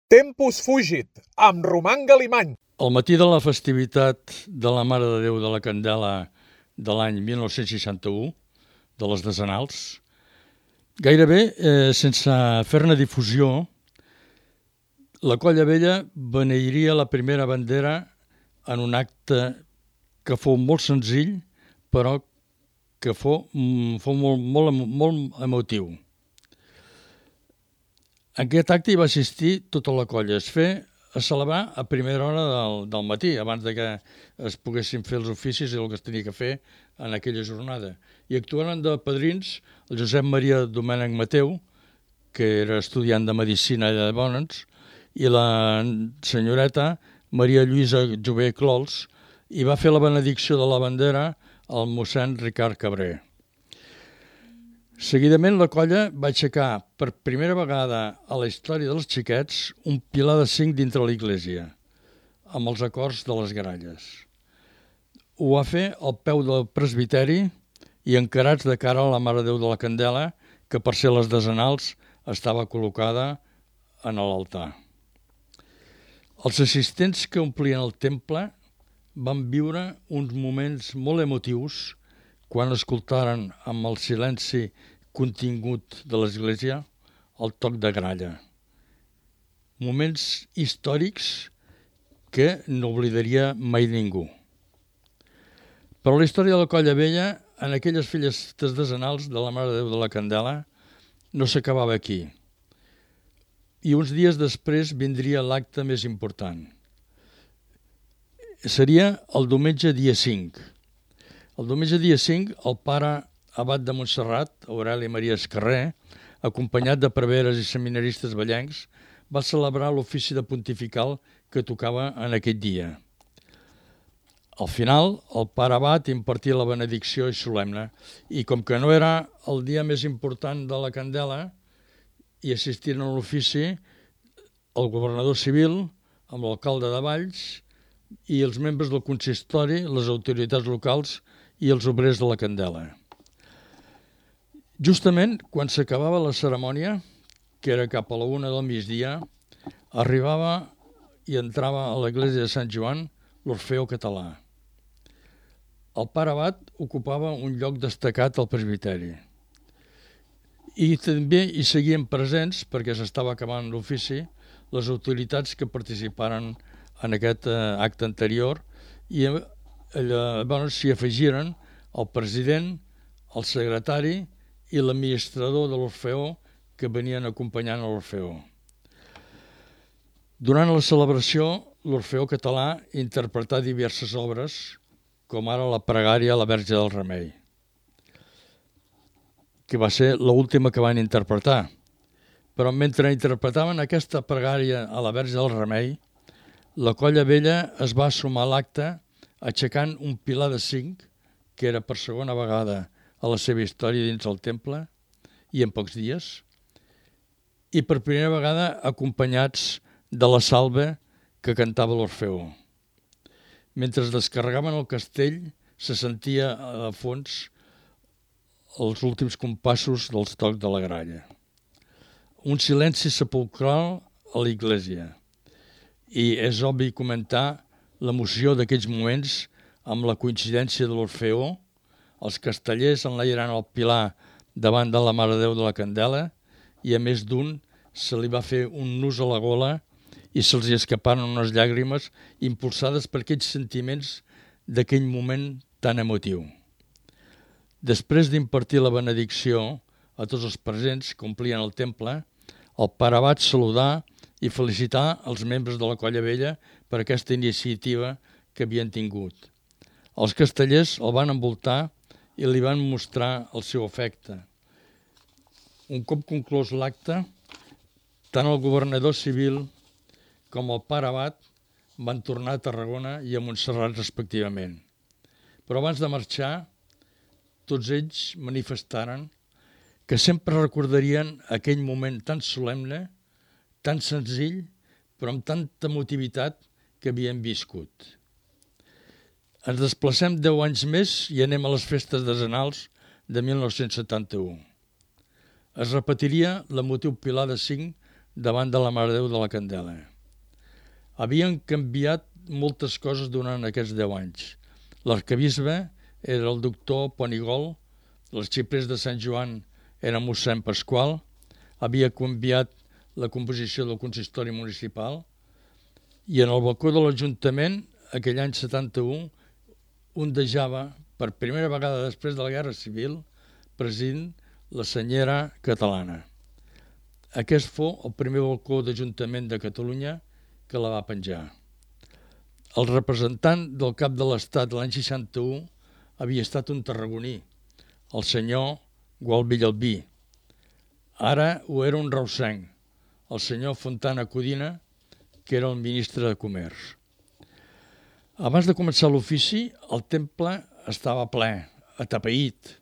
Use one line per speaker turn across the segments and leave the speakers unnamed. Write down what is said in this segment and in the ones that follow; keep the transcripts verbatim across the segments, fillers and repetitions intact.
Tempus fugit, amb Roman Galimany.
Al matí de la festivitat de la Mare de Déu de la Candela de l'any mil nou-cents seixanta-u, de les decenals, gairebé eh, sense fer-ne difusió, la Colla Vella beneiria la primera bandera en un acte que fou molt senzill, però que fou, fou molt, molt, molt emotiu. En aquest acte hi va assistir tota la colla. Es fer a celebrar a primera hora del, del matí, abans de que es poguessin fer els oficis i el que es tenia que fer en aquella jornada. I actuaren de padrins el Josep Maria Domènech Mateu, que era estudiant de Medicina allà de Bonens, i la senyoreta Maria Lluïsa Jové Clols, i va fer la benedicció de la bandera el mossèn Ricard Cabré. Seguidament la colla va aixecar per primera vegada a la història dels xiquets un pilar de cinc dintre l'església, amb els acords de les gralles. Ho va fer al peu del presbiteri i encarats de cara a la Mare de Déu de la Candela, que per ser les decenals estava col·locada en l'altar. Els assistents que omplien el temple van viure uns moments molt emotius quan escoltaren amb el silenci contingut de l'església el toc de gralla. Moments històrics que no oblidaria mai ningú. Però la història de la Colla Vella, en aquelles festes decenals de la Mare de Déu de la Candela, no s'acabava aquí. I uns dies després vindria l'acte més important. Seria el diumenge dia cinc. El diumenge dia cinc, el pare abat de Montserrat, Aureli Maria Escarré, acompanyat de preveres i seminaristes vellencs, va celebrar l'ofici de pontifical que tocava en aquest dia. Al final, el pare abat impartia la benedicció i solemne, i com que no era el dia més important de la Candela, hi assistiren a l'ofici el governador civil, amb l'alcalde de Valls, i els membres del consistori, les autoritats locals i els obrers de la Candela. Justament quan s'acabava la cerimònia, que era cap a la una del migdia, arribava i entrava a l'església de Sant Joan l'Orfeó Català. El pare abat ocupava un lloc destacat al presbiteri. I també hi seguien presents, perquè s'estava acabant l'ofici, les autoritats que participaren en aquest acte anterior, i llavors s'hi afegiren el president, el secretari i l'administrador de l'Orfeó que venien acompanyant l'Orfeó. Durant la celebració, l'Orfeó Català interpretà diverses obres, com ara la pregària a la Verge del Remei, que va ser l'última que van interpretar. Però mentre interpretaven aquesta pregària a la Verge del Remei, la Colla Vella es va sumar a l'acte aixecant un pilar de cinc, que era per segona vegada a la seva història dins el temple, i en pocs dies, i per primera vegada acompanyats de la salve que cantava l'Orfeó. Mentre es descarregaven el castell, se sentia a fons els últims compassos dels tocs de la gralla. Un silenci sepulcral a l'església. I és obvi comentar l'emoció d'aquells moments amb la coincidència de l'Orfeó, els castellers enlairant el pilar davant de la Mare de Déu de la Candela, i a més d'un se li va fer un nus a la gola i se'ls escaparen unes llàgrimes impulsades per aquells sentiments d'aquell moment tan emotiu. Després d'impartir la benedicció a tots els presents que omplien el temple, el pare abat saludar i felicitar els membres de la Colla Vella per aquesta iniciativa que havien tingut. Els castellers el van envoltar i li van mostrar el seu afecte. Un cop conclòs l'acte, tant el governador civil com el pare abat van tornar a Tarragona i a Montserrat respectivament. Però abans de marxar, tots ells manifestaren que sempre recordarien aquell moment tan solemne, tan senzill, però amb tanta emotivitat que havien viscut. Ens desplacem deu anys més i anem a les festes decenals de mil nou-cents setanta-u. Es repetiria l'emotiu pilar de cinc davant de la Mare de Déu de la Candela. Havien canviat moltes coses durant aquests deu anys. L'arquebisbe era el doctor Ponigol, l'arxiprés de Sant Joan era mossèn Pasqual, havia canviat la composició del consistori municipal i en el balcó de l'Ajuntament, aquell any setanta-u, ondejava per primera vegada després de la Guerra Civil presidint la senyera catalana. Aquest fou el primer balcó d'Ajuntament de Catalunya que la va penjar. El representant del cap de l'Estat l'any seixanta-u havia estat un tarragoní, el senyor Gual Villalbí. Ara ho era un reusenc, el senyor Fontana Codina, que era el ministre de Comerç. Abans de començar l'ofici, el temple estava ple, atapeït,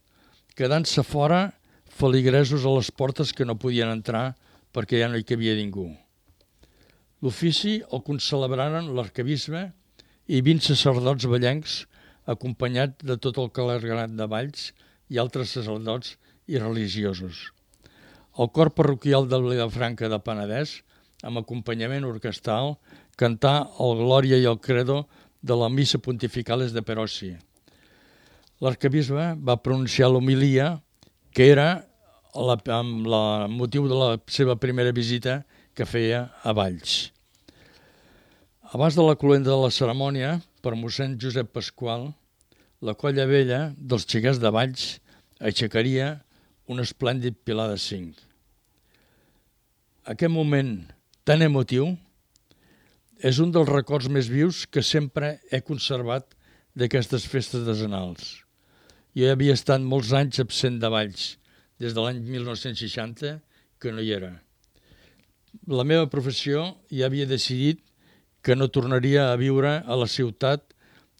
quedant-se fora feligresos a les portes que no podien entrar perquè ja no hi cabia ningú. L'ofici el concelebraren l'arquebisbe i vint sacerdots vallencs acompanyats de tot el clergat de Valls i altres sacerdots i religiosos. El cor parroquial de Vilafranca de Penedès, amb acompanyament orquestral, cantà el Glòria i el Credo de la Missa Pontificales de Perossi. L'arquebisbe va pronunciar l'homilia, que era la, amb el motiu de la seva primera visita que feia a Valls. Abans de la cloenda de la cerimònia, per mossèn Josep Pasqual, la colla vella dels xiquets de Valls aixecaria un esplèndid pilar de cinc. Aquest moment tan emotiu és un dels records més vius que sempre he conservat d'aquestes festes decenals. Jo havia estat molts anys absent de Valls, des de l'any mil nou-cents seixanta, que no hi era. La meva professió ja havia decidit que no tornaria a viure a la ciutat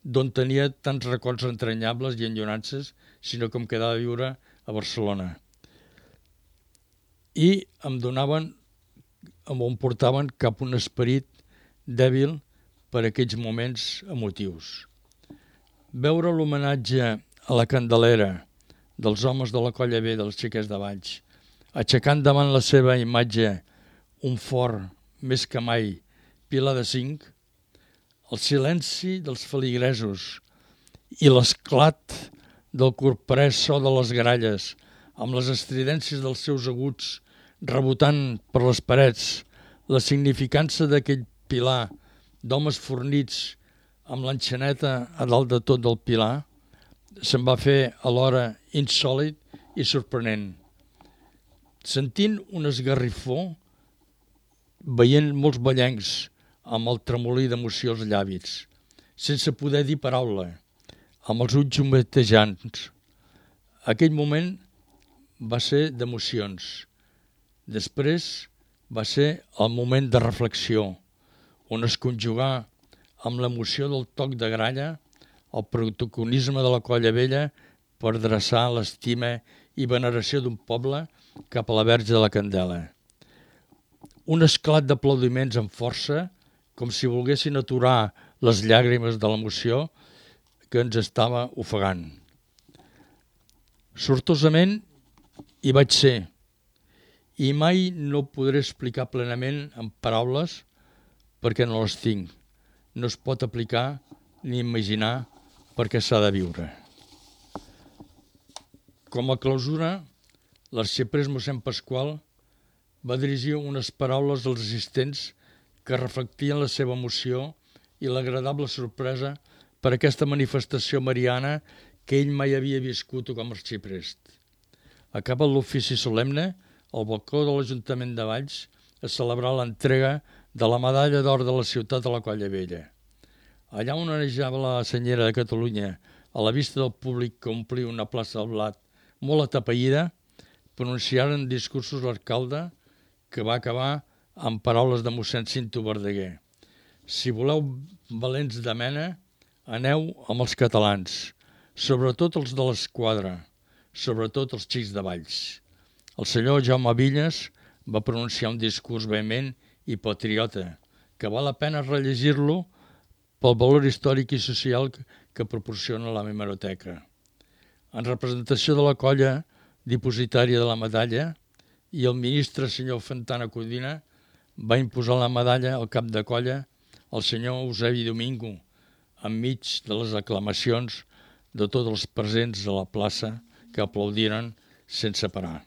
d'on tenia tants records entranyables i enyorances, sinó que em quedava a viure a Barcelona. I em donaven, em portaven cap un esperit dèbil per aquells moments emotius. Veure l'homenatge a la Candelera dels homes de la Colla B dels xiquets de Valls, aixecant davant la seva imatge un fort, més que mai, pilar de cinc, el silenci dels feligresos i l'esclat del corprès so de les gralles, amb les estridències dels seus aguts rebotant per les parets, la significança d'aquell pilar d'homes fornits amb l'enxaneta a dalt de tot del pilar, se'm va fer alhora insòlit i sorprenent. Sentint un esgarrifó, veient molts ballencs amb el tremolí d'emoció als llavis, sense poder dir paraula, amb els ulls humetejants. Aquell moment va ser d'emocions. Després va ser el moment de reflexió, on es conjugà amb l'emoció del toc de gralla el protagonisme de la Colla Vella per dreçar l'estima i veneració d'un poble cap a la Verge de la Candela. Un esclat d'aplaudiments amb força, com si volguessin aturar les llàgrimes de l'emoció que ens estava ofegant. Sortosament hi vaig ser, i mai no podré explicar plenament en paraules perquè no les tinc. No es pot aplicar ni imaginar perquè s'ha de viure. Com a clausura, l'arxiprés mossèn Pasqual va dirigir unes paraules als assistents que reflectien la seva emoció i l'agradable sorpresa per aquesta manifestació mariana que ell mai havia viscut com a arxiprest. Acabat l'ofici solemne, al balcó de l'Ajuntament de Valls es celebrà l'entrega de la medalla d'or de la ciutat de la Colla Vella. Allà on onejava la senyera de Catalunya, a la vista del públic que omplia una plaça del Blat molt atapeïda, pronunciaren discursos l'alcalde que va acabar amb paraules de mossèn Cinto Verdaguer. Si voleu valents de mena, aneu amb els catalans, sobretot els de l'esquadra, sobretot els xics de Valls. El senyor Jaume Villas va pronunciar un discurs vehement i patriota, que val la pena rellegir-lo pel valor històric i social que proporciona la hemeroteca. En representació de la colla dipositària de la medalla i el ministre senyor Fontana Codina va imposar la medalla al cap de colla al senyor Eusebi Domingo, enmig de les aclamacions de tots els presents de la plaça que aplaudiren sense parar.